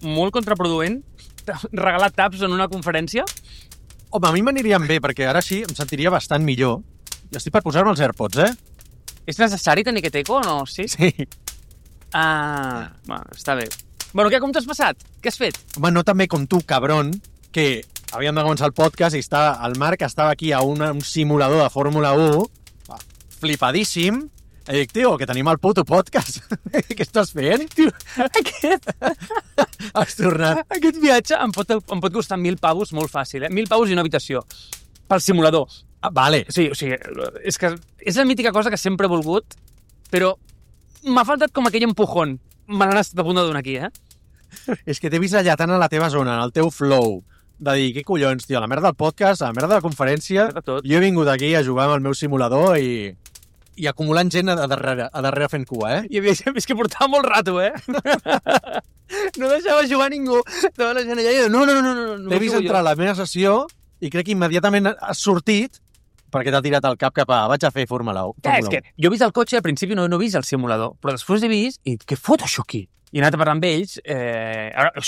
molt contraproduent regalar taps en una conferència? Home, a mi m'anirien bé, perquè ara sí em sentiria bastant millor. I estic per posar-me els AirPods, És necessari tenir aquest eco o no? Sí? Sí. Bueno, està bé. Bueno, què, com t'has passat? Què has fet? Home, no tan bé com tu, cabron, que havíem de començar el podcast i el Marc estava aquí a un simulador de Fórmula 1, flipadíssim, i dic, tio, que tenim el puto podcast. Què estàs fent? Tio, aquest... Has tornat. Aquest viatge em pot costar 1.000 pavos molt fàcil, 1.000 pavos i una habitació. Pel simulador. Vale. Sí, o sigui, és que és la mítica cosa que sempre he volgut, però m'ha faltat com aquell empujón. Me l'han estat a punt de donar aquí, És que t'he vist allà tan a la teva zona, en el teu flow, de dir, què collons, tio, la merda del podcast, la merda de la conferència, tot. Jo he vingut aquí a jugar amb el meu simulador i acumulant gent a darrere fent cua, I havia gent que portava molt rato, No deixava jugar ningú. Estava la gent allà i no. T'he vist entrar a la meva sessió i crec que immediatament has sortit perquè t'ha tirat el cap cap a vaig a fer Fórmula 1. Clar, és que jo he vist el cotxe i al principi no he vist el simulador, però després he vist i què fot això aquí? I he anat a parlar amb ells,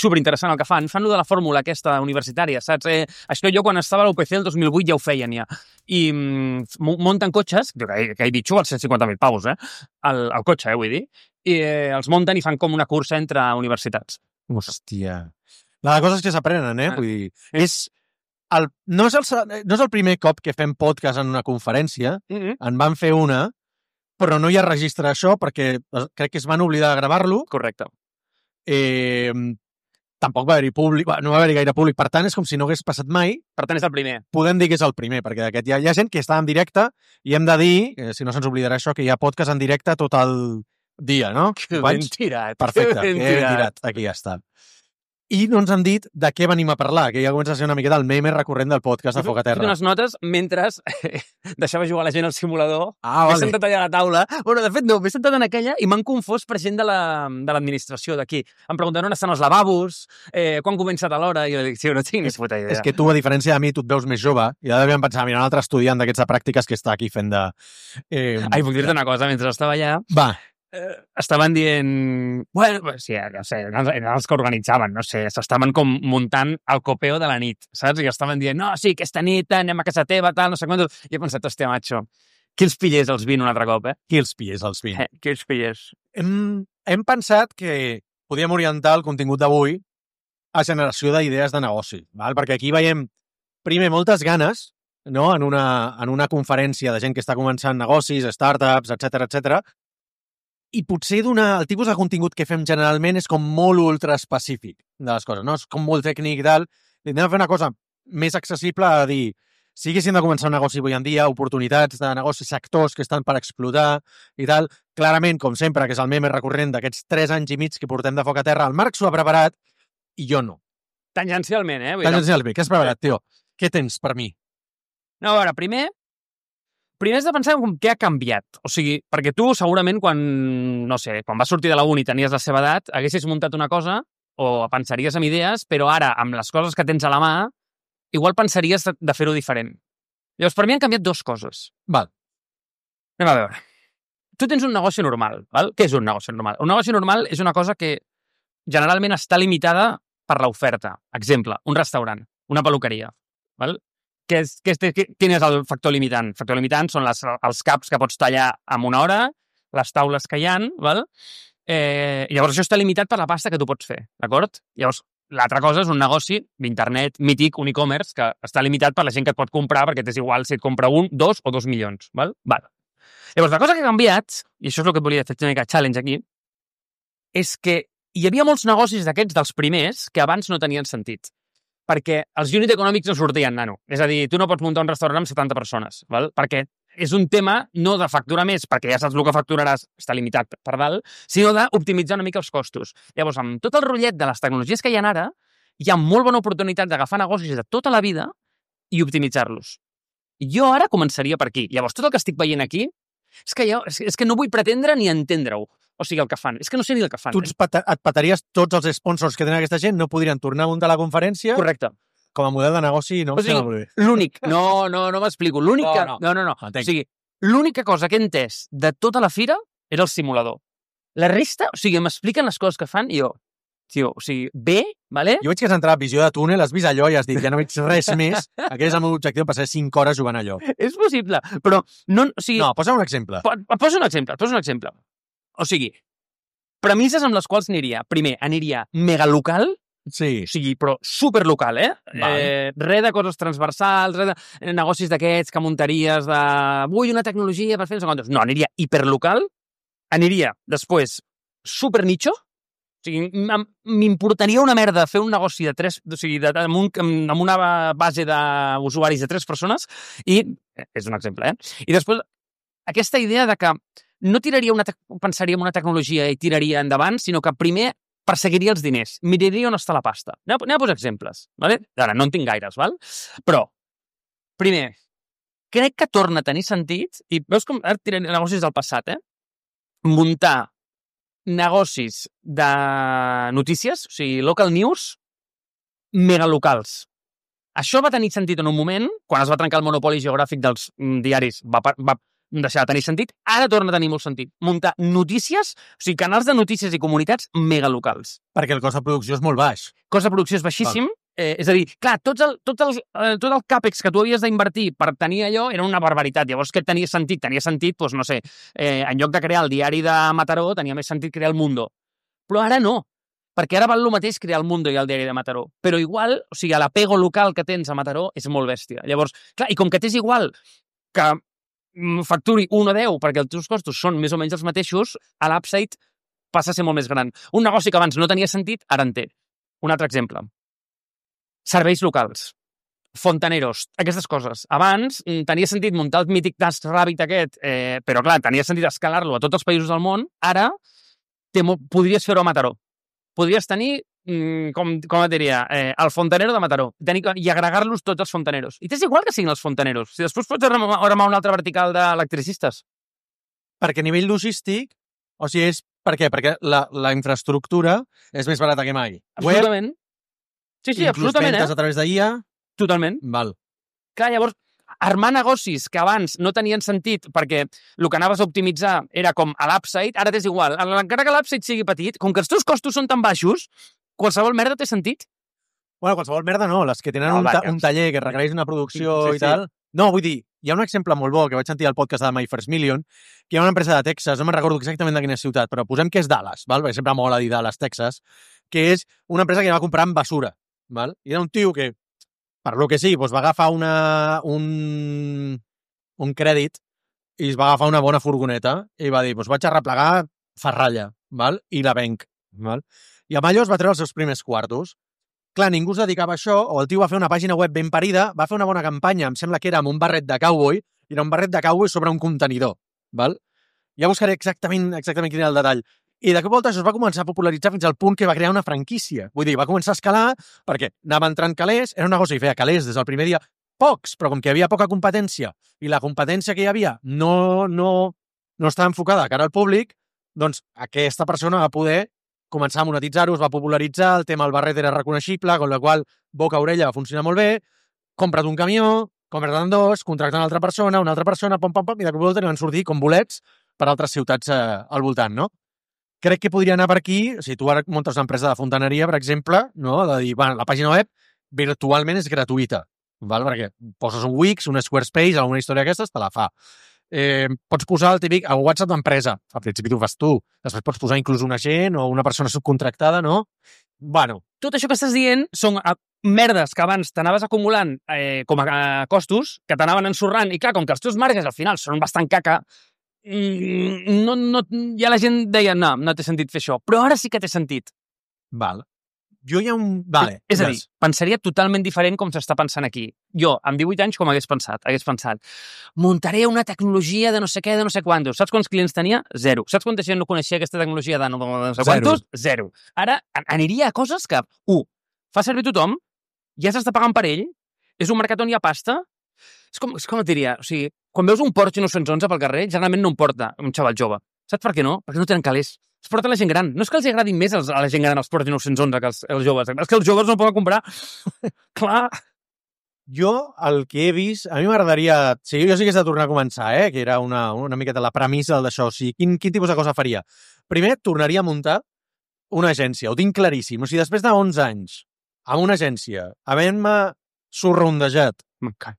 superinteressant el que fan lo de la fórmula aquesta universitària, saps? Això jo quan estava a l'UPC el 2008 ja ho feien ja. I munten cotxes, que he dit als 150.000 pavos, el cotxe, vull dir, i els munten i fan com una cursa entre universitats. Hòstia. La cosa és que s'aprenen, Vull dir, no és el primer cop que fem podcast en una conferència, en van fer una, però no hi ha registre d'això perquè crec que es van oblidar de gravar-lo. Correcte. Tampoc va haver-hi públic, no va haver-hi gaire públic, per tant és com si no hagués passat mai. Per tant és el primer. Podem dir que és el primer, perquè d'aquest hi ha gent que està en directe i hem de dir, si no se'ns oblidarà això, que hi ha podcast en directe tot el dia, no? Ben tirat. Perfecte, ben tirat. Aquí ja està. I no ens han dit de què venim a parlar, que ja comença a ser una miqueta el meme recurrent del podcast de Foc a Terra. He fet unes notes mentre deixava jugar la gent al simulador. Vale. M'he sentat allà a la taula. Bueno, de fet, no, m'he sentat en aquella i m'han confós per gent de l'administració d'aquí. Em pregunten on estan els lavabos, quan comença a l'hora, i jo dic, sí, no tinc ni puta idea. És que tu, a diferència de mi, tu et veus més jove, i ja devien pensar, mira, un altre estudiant d'aquests de pràctiques que està aquí fent de... Ai, puc dir-te una cosa, mentre estava allà... Va. Estaven dient... Bueno, sí, no sé, eren els que organitzaven, no sé, s'estaven com muntant el copeo de la nit, saps? I estaven dient, no, sí, aquesta nit anem a casa teva, tal, no sé quant... I he pensat, hòstia, macho, qui els pillés els 20 un altre cop, Qui els pillés els 20? Qui els pillés? Hem pensat que podíem orientar el contingut d'avui a generació d'idees de negoci, val? Perquè aquí veiem, primer, moltes ganes, no?, en una conferència de gent que està començant negocis, startups, etc. I potser el tipus de contingut que fem generalment és com molt ultra específic de les coses, no? És com molt tècnic i tal. I anem a fer una cosa més accessible a dir, si haguéssim de començar un negoci avui en dia, oportunitats de negoci, sectors que estan per explotar i tal. Clarament, com sempre, que és el meme recurrent d'aquests 3 anys i mig que portem de Foc a Terra, el Marc s'ho ha preparat i jo no. Tangencialment, Tangencialment. Què has preparat, tio? Què tens per mi? No, a veure, primer has de pensar en què ha canviat. O sigui, perquè tu segurament quan vas sortir de la uni i tenies la seva edat, haguessis muntat una cosa o pensaries en idees, però ara, amb les coses que tens a la mà, igual pensaries de fer-ho diferent. Llavors, per mi han canviat 2 coses. Val. Anem a veure. Tu tens un negoci normal, val? Què és un negoci normal? Un negoci normal és una cosa que generalment està limitada per l'oferta. Exemple, un restaurant, una peluqueria, val? Quin és el factor limitant? El factor limitant són els caps que pots tallar en una hora, les taules que hi ha, val? Llavors això està limitat per la pasta que tu pots fer, d'acord? Llavors, l'altra cosa és un negoci d'internet mític, un e-commerce, que està limitat per la gent que et pot comprar, perquè t'és igual si et compra 1, 2 o 2 milions, val? Llavors, la cosa que ha canviat, i això és el que et volia fer una mica challenge aquí, és que hi havia molts negocis d'aquests dels primers que abans no tenien sentit. Perquè els unit econòmics no sortien, nano. És a dir, tu no pots muntar un restaurant amb 70 persones, val? Perquè és un tema no de facturar més, perquè ja saps el que facturaràs, està limitat per dalt, sinó d'optimitzar una mica els costos. Llavors, amb tot el rotllet de les tecnologies que hi ha ara, hi ha molt bona oportunitat d'agafar negocis de tota la vida i optimitzar-los. Jo ara començaria per aquí. Llavors, tot el que estic veient aquí és que no vull pretendre ni entendre-ho. O sigui, el que fan. És que no sé ni el que fan. Tu et petaries tots els sponsors que tenen aquesta gent, no podrien tornar a muntar la conferència? Correcte. Com a model de negoci no em sembla molt bé. L'únic... No m'explico. L'únic que... No. O sigui, l'única cosa que he entès de tota la fira era el simulador. La resta, o sigui, m'expliquen les coses que fan i jo... tio, o sigui, bé, vale? Jo veig que has entrat a visió de túnel, has vist allò i has dit, ja no veig res més. Aquest és el meu objectiu, passar 5 hores jugant allò. És possible, però no... O sigui, No, posa un exemple. Posa un exemple. O sigui, premisses amb les quals aniria. Primer, aniria megalocal, Sí. o sigui, però superlocal, Res de coses transversals, res de negocis d'aquests que muntaries de... Vull una tecnologia per fer no sé quantos. No, aniria hiperlocal, aniria després super nicho, o sigui, m'importaria una merda fer un negoci de 3, o sigui, amb una base d'usuaris de 3 persones i, és un exemple, I després, aquesta idea de que no pensaria en una tecnologia i tiraria endavant, sinó que primer perseguiria els diners, miraria on està la pasta. Anem a posar exemples, ¿vale? Ara, no en tinc gaires, val? Però, primer, crec que torna a tenir sentit, i veus com ara tiraré negocis del passat, muntar negocis de notícies, o sigui, local news, megalocals. Això va tenir sentit en un moment, quan es va trencar el monopoli geogràfic dels diaris, va deixar de tenir sentit, ara torna a tenir molt sentit. Muntar notícies, o sigui, canals de notícies i comunitats megalocals. Perquè el cost de producció és molt baix. Cost de producció és baixíssim, és a dir, clar, tot el càpex que tu havies d'invertir per tenir allò era una barbaritat. Llavors, què tenia sentit? Tenia sentit, doncs, no sé, en lloc de crear el diari de Mataró, tenia més sentit crear el Mundo. Però ara no, perquè ara val el mateix crear el Mundo i el diari de Mataró. Però igual, o sigui, l'apego local que tens a Mataró és molt bèstia. Llavors, clar, i com que t'és igual que facturi 1 o 10 perquè els teus costos són més o menys els mateixos, a l'upside passa a ser molt més gran. Un negoci que abans no tenia sentit, ara en té. Un altre exemple. Serveis locals. Fontaneros, aquestes coses. Abans tenia sentit muntar el mític TaskRabbit aquest, però clar, tenia sentit escalar-lo a tots els països del món. Ara podries fer-ho a Mataró. Podries tenir, com et diria, el fontanero de Mataró i agregar-los tots els fontaneros. I t'és igual que siguin els fontaneros. Si després pots armar una altra vertical d'electricistes. Perquè a nivell logístic, o sigui, és per què? Perquè la infraestructura és més barata que mai. Absolutament. Sí, absolutament, Inclús ventes a través d'IA. Totalment. Val. Clar, llavors, armar negocis que abans no tenien sentit perquè el que anaves a optimitzar era com a l'upside, ara t'és igual. Encara que l'upside sigui petit, com que els teus costos són tan baixos, qualsevol merda té sentit. Bueno, qualsevol merda no, les que tenen un taller que requereix una producció i tal. No, vull dir, hi ha un exemple molt bo que vaig sentir al podcast de My First Million, que hi ha una empresa de Texas, no me'n recordo exactament de quina ciutat, però posem que és Dallas, val? Perquè sempre mola dir Dallas, Texas, que és una empresa que va comprar amb basura. Val? I era un tio que, per lo que sí, doncs va agafar un crèdit i es va agafar una bona furgoneta i va dir, doncs vaig a replegar ferralla, val? I la venc. Val? I amb allò es va treure els seus primers quartos. Clar, ningú es dedicava a això, o el tio va fer una pàgina web ben parida, va fer una bona campanya, em sembla que era amb un barret de cowboy, i era un barret de cowboy sobre un contenidor. Val? Ja buscaré exactament quin era el detall. I de cop volta això es va començar a popularitzar fins al punt que va crear una franquícia. Vull dir, va començar a escalar perquè anava entrant calés, era un negoci que feia calés des del primer dia, pocs, però com que hi havia poca competència i la competència que hi havia no estava enfocada de cara al públic, doncs aquesta persona va poder començar a monetitzar-ho, es va popularitzar, el tema del barret era reconeixible, amb la qual boca-orella va funcionar molt bé, compra't un camió, compra't dos, contracta una altra persona, pom, i de cop volta van sortir com bolets per altres ciutats al voltant, no? Crec que podria anar per aquí, si tu ara muntes una empresa de fontaneria, per exemple, no? De dir, bueno, la pàgina web virtualment és gratuïta, val? Perquè poses un Wix, un Squarespace, alguna història d'aquestes, te la fa. Pots posar el típic el WhatsApp d'empresa, al principi t'ho fas tu, després pots posar inclús un agent o una persona subcontractada, no? Bueno. Tot això que estàs dient són merdes que abans t'anaves acumulant com a costos, que t'anaven ensorrant, i clar, com que els teus marges al final són bastant caca, ja la gent deia, no té sentit fer això, però ara sí que té sentit. Val. Jo hi ha un... Vale. És a dir, pensaria totalment diferent com s'està pensant aquí. Jo, amb 18 anys, com hagués pensat, muntaré una tecnologia de no sé què, de no sé quantos. Saps quants clients tenia? 0. Saps quanta gent no coneixia aquesta tecnologia de no sé quantos? 0. Ara aniria a coses que, fa servir tothom, ja s'està pagant per ell, és un mercat on hi ha pasta. És com et diria, o sigui, quan veus un Porsche 911 pel carrer, generalment no em porta un xaval jove. Saps per què no? Perquè no tenen calés. Es porta la gent gran. No és que els agradin més a la gent gran els Porsche 911 que els joves. És que els joves no poden comprar. Clar. Jo, el que he vist, a mi m'agradaria... Sí, jo sí que he de tornar a començar, que era una miqueta la premissa d'això. O sigui, quin tipus de cosa faria? Primer, tornaria a muntar una agència, ho tinc claríssim. O sigui, després de 11 anys amb una agència, havent-me sorrondejat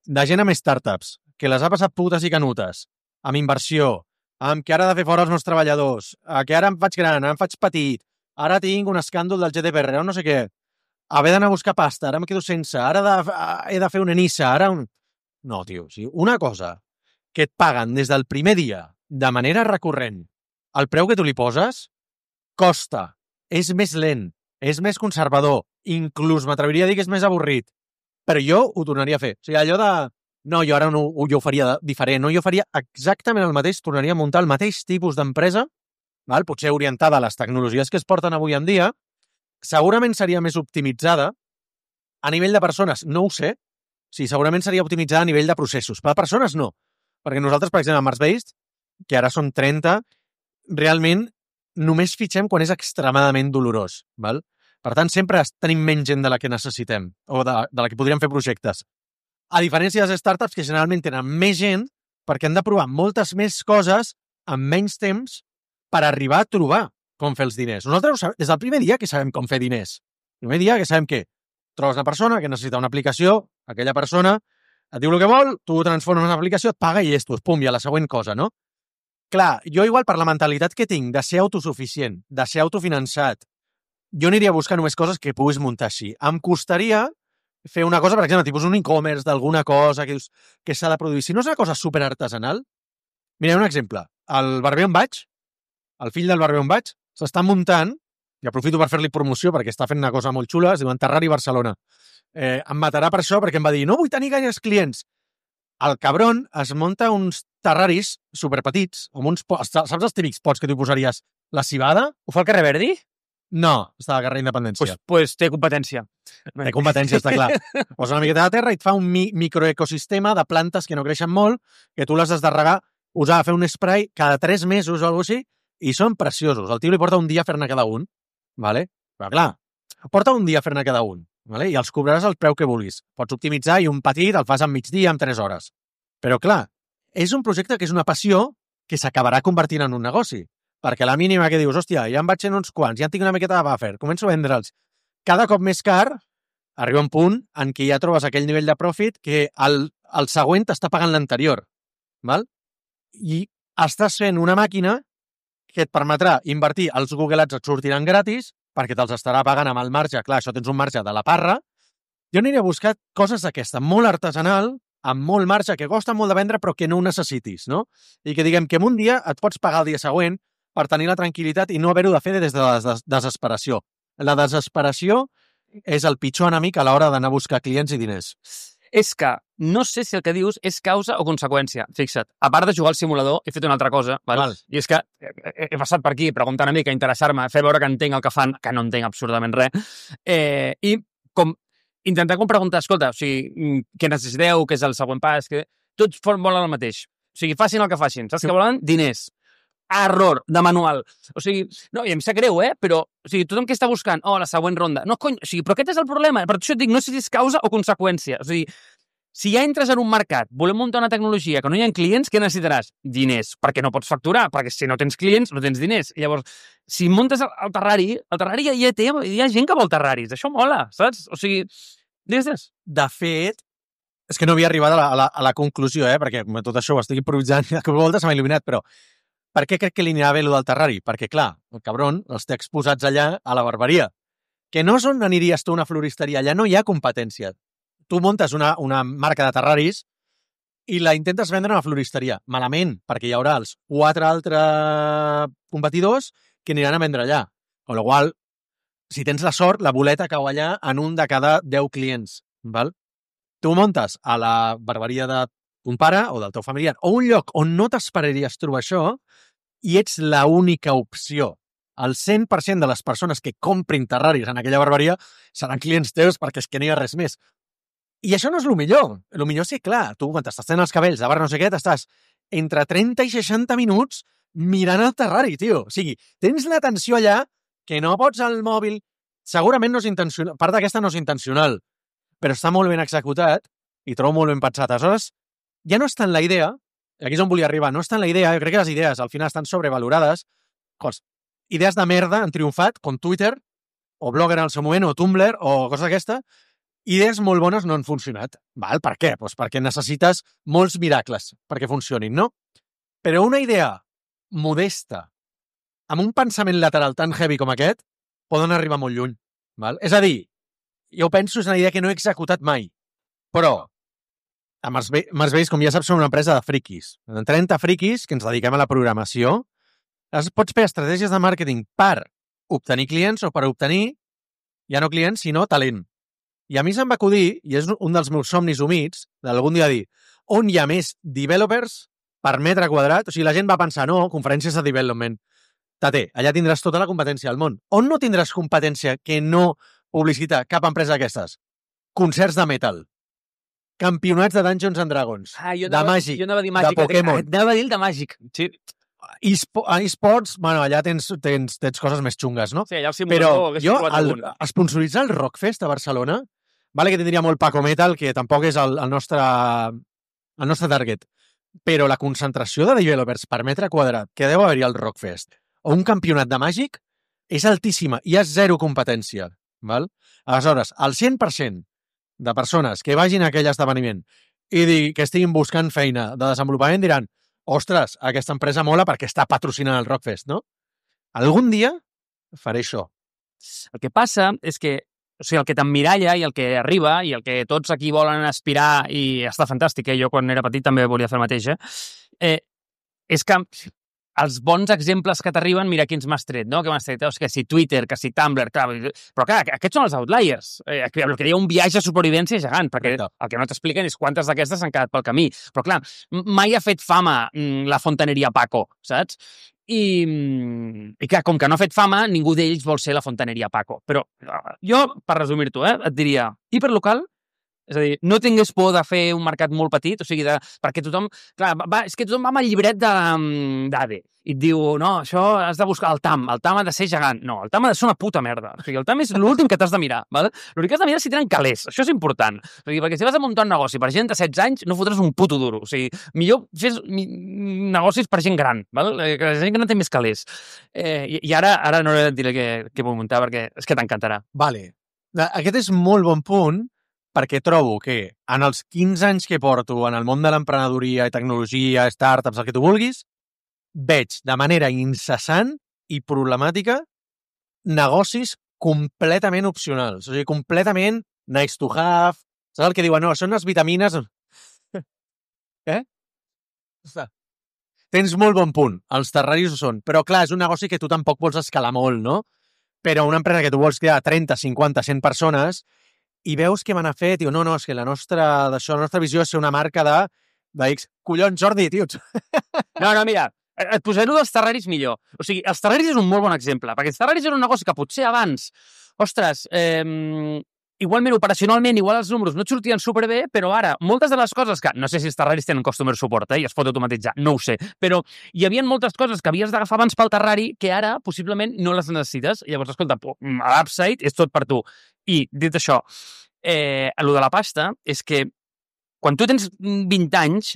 de gent amb startups, que les ha passat putes i canutes, amb inversió, amb que ara he de fer fora els meus treballadors, que ara em faig gran, ara em faig petit, ara tinc un escàndol del GDPR o no sé què, haver d'anar a buscar pasta, ara em quedo sense, ara he de fer una Nissa, ara un... No, tio, o sigui, una cosa que et paguen des del primer dia, de manera recurrent, el preu que tu li poses, costa, és més lent, és més conservador, inclús m'atreviria a dir que és més avorrit, però jo ho tornaria a fer. O sigui, allò de... No, jo ara no, jo ho faria diferent, no, jo faria exactament el mateix, tornaria a muntar el mateix tipus d'empresa, potser orientada a les tecnologies que es porten avui en dia, segurament seria més optimitzada a nivell de persones, no ho sé, sí, segurament seria optimitzada a nivell de processos, per a persones no, perquè nosaltres, per exemple, a Mars-Based, que ara són 30, realment només fitxem quan és extremadament dolorós, val? Per tant, sempre tenim menys gent de la que necessitem o de la que podríem fer projectes. A diferència de les startups, que generalment tenen més gent perquè han de provar moltes més coses en menys temps per arribar a trobar com fer els diners. Nosaltres ho sabem, des del primer dia que sabem com fer diners. El primer dia que sabem que trobes una persona que necessita una aplicació, aquella persona et diu el que vol, tu ho transformes en una aplicació, et paga i llestos, pum, i a la següent cosa, no? Clar, jo igual per la mentalitat que tinc de ser autosuficient, de ser autofinançat, jo aniria a buscar només coses que puguis muntar així. Em costaria fer una cosa, per exemple, tipus un e-commerce d'alguna cosa que dius que s'ha de produir. Si no és una cosa superartesanal, mira, un exemple. El barber on vaig, el fill del barber on vaig, s'està muntant, i aprofito per fer-li promoció perquè està fent una cosa molt xula, es diu Terrari Barcelona. Em matarà per això perquè em va dir no vull tenir gaires clients. El cabron es munta uns terraris superpetits, amb uns pots, saps els típics pots que tu posaries la cibada? Ho fa el carrer Verdi? No, està al carrer Independència. Pues té competència. Té competència, està clar. Posa una miqueta de terra i et fa un microecosistema de plantes que no creixen molt, que tu les has de regar, us ha de fer un spray cada 3 mesos o alguna cosa així, i són preciosos. El tio li porta un dia a fer-ne cada un, vale? Però clar, porta un dia a fer-ne cada un, vale? I els cobraràs el preu que vulguis. Pots optimitzar i un petit el fas en migdia, en 3 hores. Però clar, és un projecte que és una passió que s'acabarà convertint en un negoci. Perquè a la mínima que dius, hòstia, ja em vaig en uns quants, ja en tinc una miqueta de buffer, començo a vendre'ls. Cada cop més car, arriba un punt en què ja trobes aquell nivell de profit que el següent t'està pagant l'anterior. Val? I estàs fent una màquina que et permetrà invertir, els Google Ads et sortiran gratis, perquè te'ls estarà pagant amb el marge, clar, això tens un marge de la parra. Jo aniré a buscar coses d'aquesta, molt artesanal, amb molt marge, que costa molt de vendre, però que no ho necessitis, no? I que diguem que en un dia et pots pagar el dia següent per tenir la tranquil·litat i no haver-ho de fer des de la desesperació. La desesperació és el pitjor enemic a l'hora d'anar a buscar clients i diners. És que no sé si el que dius és causa o conseqüència. Fixa't, a part de jugar al simulador, he fet una altra cosa, val? I és que he passat per aquí preguntant una mica, interessar-me, fer veure que entenc el que fan, que no entenc absolutament res, i com intentar preguntar, escolta, o sigui, què necessiteu, què és el següent pas, que tots volen el mateix. O sigui, facin el que facin. Saps què volen? Diners. Error de manual. O sigui, no, i em sap greu, però o sigui, tothom que està buscant, la següent ronda. No, cony, o sigui, però aquest és el problema. Per això et dic, no sé si és causa o conseqüència. O sigui, si ja entres en un mercat, volem muntar una tecnologia que no hi ha clients, què necessitaràs? Diners, perquè no pots facturar, perquè si no tens clients, no tens diners. I llavors, si muntes el Terrari ja hi ha gent que vol Terraris. Això mola, saps? O sigui, digues. De fet, és que no havia arribat a la conclusió, perquè tot això ho estic improvisant, que voltes m'ha il·luminat, però per què crec que li anirà bé allò del Terrari? Perquè, clar, el cabron els té exposats allà a la barberia. Que no és on aniries tu a una floristeria, allà no hi ha competència. Tu muntes una marca de Terraris i la intentes vendre a una floristeria. Malament, perquè hi haurà els 4 altres competidors que aniran a vendre allà. Amb la qual, si tens la sort, la boleta cau allà en un de cada 10 clients. Val? Tu muntes a la barberia de un pare o del teu familiar, o un lloc on no t'esperaries trobar això, i ets l'única opció. El 100% de les persones que comprin Terraris en aquella barberia seran clients teus perquè és que no hi ha res més. I això no és el millor. El millor és que, clar, tu quan t'estàs fent els cabells de barra no sé què, t'estàs entre 30 i 60 minuts mirant el Terrari, tio. O sigui, tens l'atenció allà que no pots al mòbil. Segurament no és intencional, part d'aquesta no és intencional, però està molt ben executat i trobo molt ben pensat. Aleshores, ja no és tant la idea, aquí és on volia arribar, no és tant la idea, jo crec que les idees al final estan sobrevalorades, idees de merda han triomfat, com Twitter, o Blogger en el seu moment, o Tumblr, o coses d'aquesta. Idees molt bones no han funcionat. Val? Per què? Pues perquè necessites molts miracles perquè funcionin, no? Però una idea modesta, amb un pensament lateral tan heavy com aquest, poden arribar molt lluny. Val? És a dir, jo penso és una idea que no he executat mai, però amb els vells, com ja saps, som una empresa de friquis. En 30 friquis que ens dediquem a la programació, pots fer estratègies de màrqueting per obtenir clients o per obtenir, ja no clients, sinó talent. I a mi se'm va acudir, i és un dels meus somnis humits, d'algun dia dir, on hi ha més developers per metre quadrat? O sigui, la gent va pensar, no, conferències de development. Tate, allà tindràs tota la competència del món. On no tindràs competència que no publicita cap empresa d'aquestes? Concerts de metal. Campionats de Dungeons and Dragons. De Màgic. Jo anava a dir Màgic. De Pokémon. Anava a dir el de Màgic. Sí. eSports, bueno, allà tens coses més xungues, no? Sí, allà el Però simulador... jo, esponsoritzar el Rockfest a Barcelona, vale que tindria molt Paco Metal, que tampoc és el nostre target, però la concentració de developers per metre quadrat que deu haver-hi al Rockfest o un campionat de Màgic és altíssima, hi ha zero competència. Val? Aleshores, el 100% de persones que vagin a aquell esdeveniment i que estiguin buscant feina de desenvolupament diran, ostres, aquesta empresa mola perquè està patrocinant el Rockfest, no? Algun dia faré això. El que passa és que, o sigui, el que t'emmiralla i el que arriba i el que tots aquí volen aspirar, i està fantàstic, jo quan era petit també volia fer el mateix, és que els bons exemples que t'arriben, mira quins m'has tret, no? Que m'has tret, que si Twitter, que si Tumblr, clar, però clar, aquests són els outliers. El que hi ha un viatge de supervivència gegant, perquè el que no t'expliquen és quantes d'aquestes s'han quedat pel camí. Però clar, mai ha fet fama la fontaneria Paco, saps? I clar, com que no ha fet fama, ningú d'ells vol ser la fontaneria Paco. Però jo, per resumir-t'ho, et diria, hiperlocal, és a dir, no tingués por de fer un mercat molt petit, o sigui, perquè tothom... Clar, és que tothom va amb el llibret d'ADE i et diu, no, això has de buscar el TAM ha de ser gegant. No, el TAM ha de ser una puta merda. O sigui, el TAM és l'últim que t'has de mirar, val? L'únic que has de mirar és si tenen calés. Això és important. O sigui, perquè si vas a muntar un negoci per gent de 16 anys, no fotràs un puto duro. O sigui, millor fes negocis per gent gran, val? Que la gent gran té més calés. I ara no he de dir què vull muntar perquè és que t'encantarà. Vale. Aquest és molt bon punt, perquè trobo que en els 15 anys que porto en el món de l'emprenedoria i tecnologia, startups, el que tu vulguis, veig de manera incessant i problemàtica negocis completament opcionals. O sigui, completament nice to have. Saps el que diuen? No, són les vitamines... Tens molt bon punt. Els terraris ho són. Però, clar, és un negoci que tu tampoc vols escalar molt, no? Però una empresa que tu vols crear 30, 50, 100 persones i veus què m'han fet, diu, no, és que la nostra visió és ser una marca de X. Collons, Jordi, tio. No, mira, et posaré dels terraris millor. O sigui, els terraris és un molt bon exemple, perquè els terraris era un negoci que potser abans, ostres, igualment, operacionalment, igual els números no et sortien superbé, però ara, moltes de les coses que, no sé si els terraris tenen customer support, i es pot automatitzar, no ho sé, però hi havia moltes coses que havies d'agafar abans pel terrari que ara, possiblement, no les necessites. Llavors, escolta, l'upside és tot per tu. I, dit això, el de la pasta és que quan tu tens 20 anys,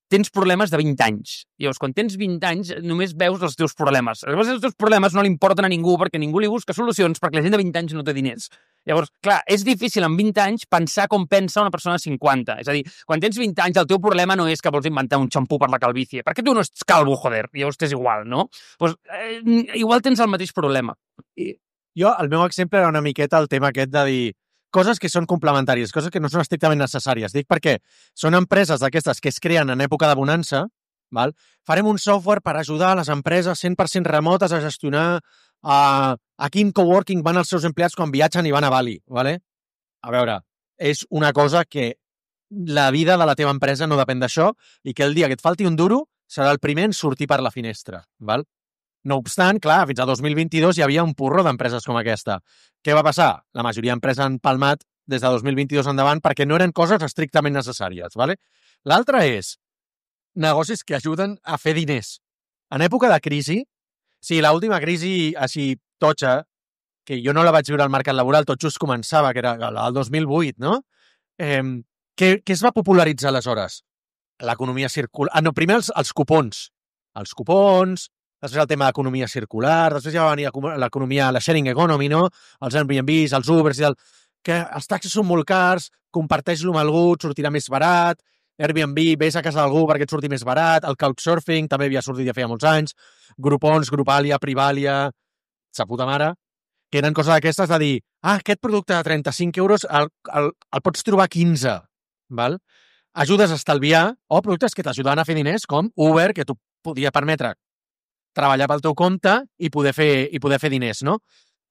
tens problemes de 20 anys. Llavors, quan tens 20 anys, només veus els teus problemes. Llavors, els teus problemes no li importen a ningú perquè ningú li busca solucions perquè la gent de 20 anys no té diners. Llavors, clar, és difícil amb 20 anys pensar com pensa una persona de 50. És a dir, quan tens 20 anys, el teu problema no és que vols inventar un xampú per la calvície, perquè tu no ets calvo, joder, llavors t'és igual, no? Pues, igual tens el mateix problema. Jo, el meu exemple era una miqueta el tema aquest de dir coses que són complementàries, coses que no són estrictament necessàries. Dic perquè són empreses d'aquestes que es creen en època de bonança, val? Farem un software per ajudar a les empreses 100% remotes a gestionar a quin coworking van els seus empleats quan viatgen i van a Bali. Vale? A veure, és una cosa que la vida de la teva empresa no depèn d'això i que el dia que et falti un duro serà el primer en sortir per la finestra. Val? No obstant, clar, fins a 2022 hi havia un porró d'empreses com aquesta. Què va passar? La majoria d'empreses han palmat des de 2022 endavant perquè no eren coses estrictament necessàries. Vale? L'altre és negocis que ajuden a fer diners. En època de crisi, sí, l'última crisi així totxa, que jo no la vaig viure al mercat laboral, tot just començava, que era el 2008, no? Què es va popularitzar aleshores? L'economia circular... no, primer els cupons. Els cupons, després el tema d'economia circular, després ja va venir l'economia, la sharing economy, no? Els Airbnbs, els Ubers i que els taxis són molt cars, comparteix-lo amb algú, et sortirà més barat, Airbnb, vés a casa d'algú perquè et surti més barat, el Couchsurfing també havia sortit ja feia molts anys, Groupons, Grupalia, Privalia, sa puta mare, que eren coses d'aquestes de dir, aquest producte de 35 euros el pots trobar a 15, val? Ajudes a estalviar, o productes que t'ajudaven a fer diners, com Uber, que tu podia permetre treballar pel teu compte i poder fer diners, no?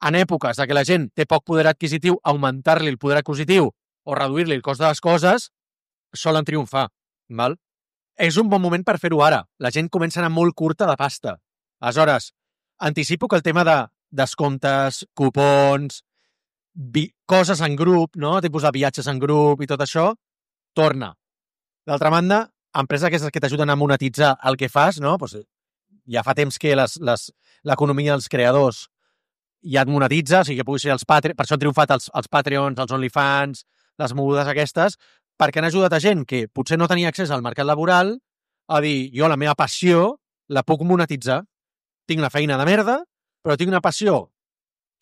En èpoques de que la gent té poc poder adquisitiu, augmentar-li el poder adquisitiu o reduir-li el cost de les coses, solen triomfar, val? És un bon moment per fer-ho ara. La gent comença a anar molt curta de pasta. Aleshores, anticipo que el tema de descomptes, cupons, coses en grup, no? Tipus de viatges en grup i tot això, torna. D'altra banda, empreses aquestes que t'ajuden a monetitzar el que fas, no? Pues ja fa temps que l'economia dels creadors ja et monetitza, o sigui que puguis ser els Patreons, per això han triomfat els Patreons, els OnlyFans, les mogudes aquestes, perquè han ajudat a gent que potser no tenia accés al mercat laboral a dir, jo la meva passió la puc monetitzar. Tinc la feina de merda, però tinc una passió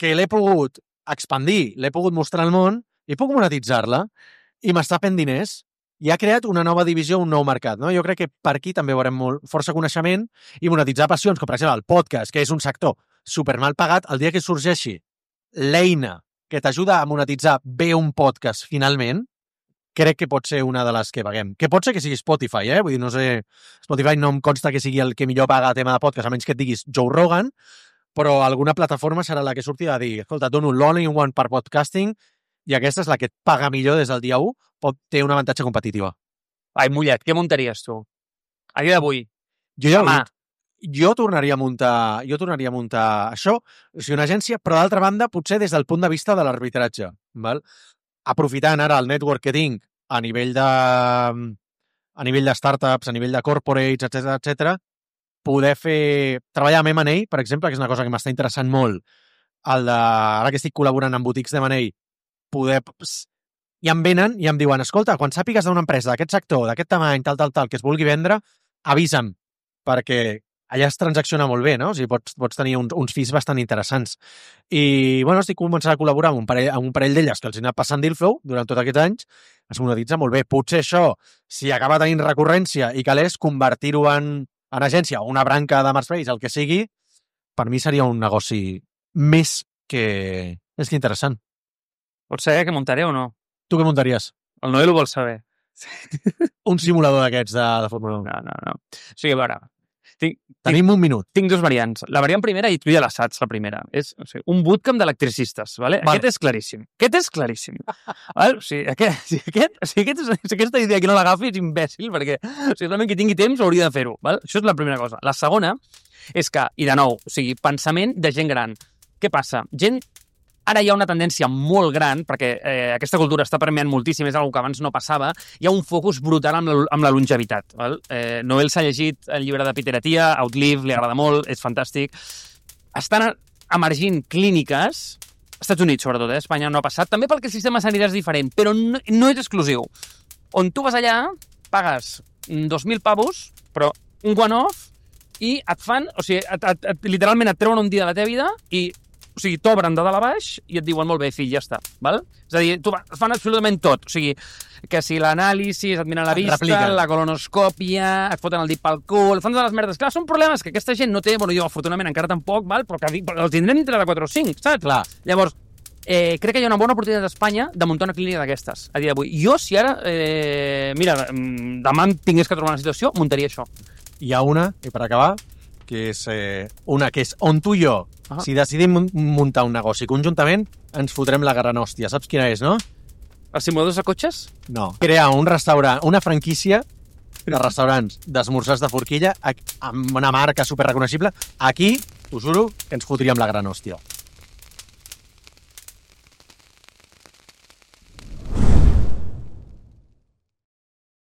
que l'he pogut expandir, l'he pogut mostrar al món i puc monetitzar-la i m'està fent diners. I ha creat una nova divisió, un nou mercat. No? Jo crec que per aquí també veurem força coneixement i monetitzar passions, com per exemple el podcast, que és un sector supermal pagat. El dia que sorgeixi l'eina que t'ajuda a monetitzar bé un podcast finalment, crec que pot ser una de les que paguem. Que pot ser que sigui Spotify, Vull dir, no sé... Spotify no em consta que sigui el que millor paga a tema de podcast, a menys que et diguis Joe Rogan, però alguna plataforma serà la que surti a dir, escolta, dono l'all-in-one per podcasting i aquesta és la que et paga millor des del dia 1, té un avantatge competitiva. Ai, mullet, què muntaries tu? A dia d'avui. Jo tornaria a muntar això, o sigui, una agència, però d'altra banda, potser des del punt de vista de l'arbitratge, val? Aprofitant ara el network que tinc a nivell de startups, a nivell de corporates, etc, poder treballar amb M&A, per exemple, que és una cosa que m'està interessant molt, ara que estic col·laborant amb boutiques de M&A, i em venen i em diuen, escolta, quan sàpigues d'una empresa d'aquest sector, d'aquest tamany, tal, que es vulgui vendre, avisa'm, perquè allà es transacciona molt bé, no? O sigui, pots tenir uns fees bastant interessants. I, bueno, estic començant a col·laborar amb un parell d'elles que els he anat passant deal flow durant tots aquests anys, es monetitza molt bé. Potser això, si acaba tenint recurrència i calés, convertir-ho en agència o una branca de Marketplace, el que sigui, per mi seria un negoci més que interessant. Pots saber què muntaré o no? Tu què muntaries? El Noel ho vol saber. Un simulador d'aquests de Fórmula 1. No. O sigui, a veure... Tenim un minut. Tinc dues variants. La variant primera, i tu ja la saps, la primera. És un bootcamp d'electricistes, ¿vale? Vale. Aquest és claríssim. Vale? O sigui, aquesta idea que no l'agafi és imbècil, perquè realment qui tingui temps hauria de fer-ho. Vale? Això és la primera cosa. La segona és que, i de nou, o sigui, pensament de gent gran. Què passa? Ara hi ha una tendència molt gran, perquè aquesta cultura està permeant moltíssim, és una cosa que abans no passava, hi ha un focus brutal amb la longevitat. Val? Noel s'ha llegit el llibre de Peter Attia, Outlive, li agrada molt, és fantàstic. Estan emergint clíniques, als Estats Units sobretot, a Espanya no ha passat, també perquè el sistema sanitari és diferent, però no és exclusiu. On tu vas allà, pagues 2.000 pavos, però un one-off, i et fan, o sigui, literalment et treuen un dia de la teva vida i o sigui, t'obren de dalt a baix i et diuen, molt bé, fill, ja està. Val? És a dir, fan absolutament tot. O sigui, que si l'anàlisi, et miren la vista, la colonoscòpia, et foten el dit pel cul, fan totes les merdes. Clar, són problemes que aquesta gent no té, bueno, jo afortunadament encara tampoc, val? Però que els tindrem dintre de 4 o 5, saps? Clar. Llavors, crec que hi ha una bona oportunitat a Espanya de muntar una clínica d'aquestes, a dia d'avui. Jo, si ara, mira, demà tingués que trobar una situació, muntaria això. Hi ha una, i per acabar, que és una que és on tu i jo, si decidim muntar un negoci conjuntament, ens fotrem la gran hòstia. Saps quina és, no? Els simuladors de cotxes? No. Crear un restaurant, una franquícia de restaurants d'esmorzars de forquilla amb una marca superreconeixible. Aquí, t'ho juro, que ens fotríem la gran hòstia.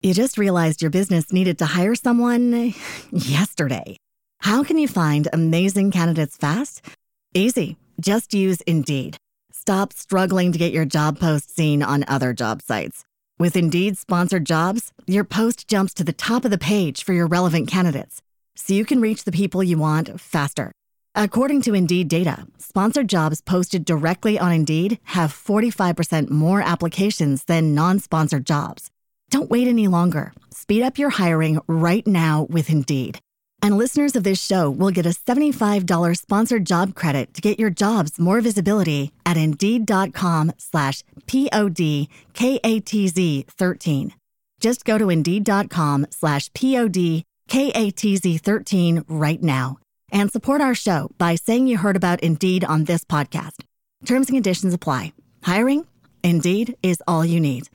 You just realized your business needed to hire someone yesterday. How can you find amazing candidates fast? Easy. Just use Indeed. Stop struggling to get your job post seen on other job sites. With Indeed sponsored jobs, your post jumps to the top of the page for your relevant candidates. so you can reach the people you want faster. According to Indeed data, sponsored jobs posted directly on Indeed have 45% more applications than non-sponsored jobs. Don't wait any longer. Speed up your hiring right now with Indeed. And listeners of this show will get a $75 sponsored job credit to get your jobs more visibility at Indeed.com/PODKATZ13. Just go to Indeed.com/PODKATZ13 right now and support our show by saying you heard about Indeed on this podcast. Terms and conditions apply. Hiring? Indeed is all you need.